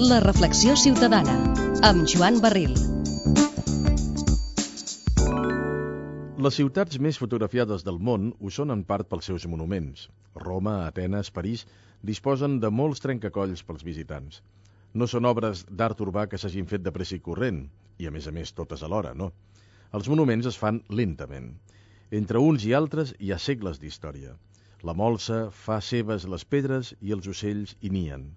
La reflexió ciutadana, amb Joan Barril. Les ciutats més fotografiades del món ho són en part pels seus monuments. Roma, Atenes, París disposen de molts trencacolls pels visitants. No són obres d'art urbà que s'hagin fet de pressa i corrent, i a més totes alhora, no. Els monuments es fan lentament. Entre uns i altres hi ha segles d'història. La molsa fa seves les pedres i els ocells hi nien.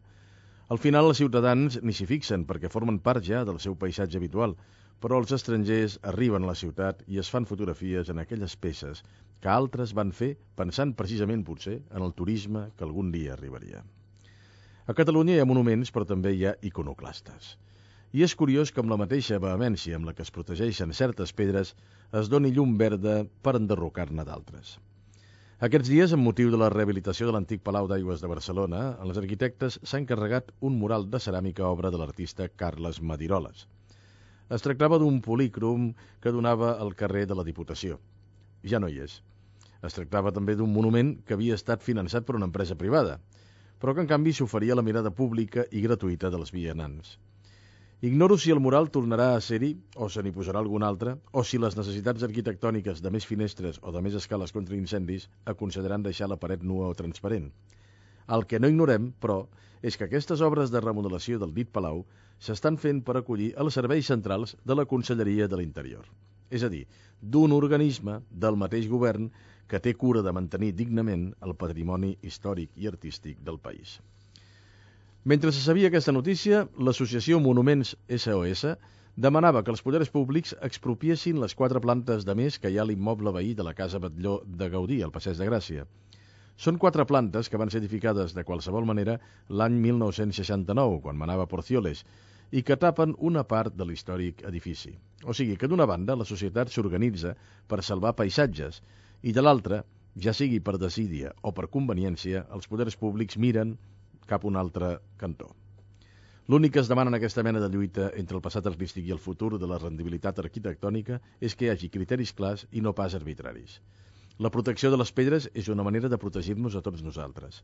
Al final els ciutadans ni s'hi fixen perquè formen part ja del seu paisatge habitual, però els estrangers arriben a la ciutat i es fan fotografies en aquelles peces que altres van fer pensant precisament potser en el turisme que algun dia arribaria. A Catalunya hi ha monuments, però també hi ha iconoclastes. I és curiós que amb la mateixa vehemència amb la que es protegeixen certes pedres es doni llum verda per enderrocar-ne d'altres. Aquests dies, amb motiu de la rehabilitació de l'antic Palau d'Aigües de Barcelona, els arquitectes s'han encarregat un mural de ceràmica obra de l'artista Carles Madiroles. Es tractava d'un polícrom que donava al carrer de la Diputació. Ja no hi és. Es tractava també d'un monument que havia estat finançat per una empresa privada, però que en canvi s'oferia a la mirada pública i gratuïta dels vianants. Ignoro si el mural tornarà a ser-hi, o se n'hi posarà algun altre, o si les necessitats arquitectòniques de més finestres o de més escales contra incendis aconsellaran deixar la paret nua o transparent. El que no ignorem, però, és que aquestes obres de remodelació del dit palau s'estan fent per acollir els serveis centrals de la Conselleria de l'Interior. És a dir, d'un organisme del mateix govern que té cura de mantenir dignament el patrimoni històric i artístic del país. Mentre se sabia aquesta notícia, l'associació Monuments SOS demanava que els poders públics expropiessin les 4 plantes de més que hi ha a l'immoble veí de la Casa Batlló de Gaudí, al Passeig de Gràcia. Són 4 plantes que van ser edificades de qualsevol manera l'any 1969, quan manava Porcioles, i que tapen una part de l'històric edifici. O sigui que d'una banda la societat s'organitza per salvar paisatges i de l'altra, ja sigui per desídia o per conveniència, els poders públics miren cap a un altre cantó. L'únic que es demana en aquesta mena de lluita entre el passat artístic i el futur de la rendibilitat arquitectònica és que hi hagi criteris clars i no pas arbitraris. La protecció de les pedres és una manera de protegir-nos a tots nosaltres.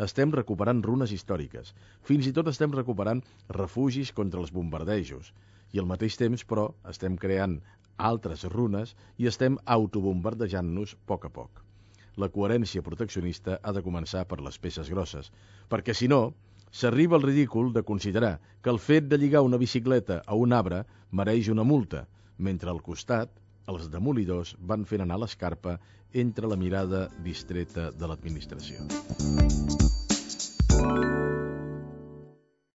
Estem recuperant runes històriques, fins i tot estem recuperant refugis contra els bombardejos, i al mateix temps, però, estem creant altres runes i estem autobombardejant-nos a poc. La coherència proteccionista ha de començar per les peces grosses, perquè si no, s'arriba al ridícul de considerar que el fet de lligar una bicicleta a un arbre mereix una multa, mentre al costat els demolidors van fent anar l'escarpa entre la mirada distreta de l'administració.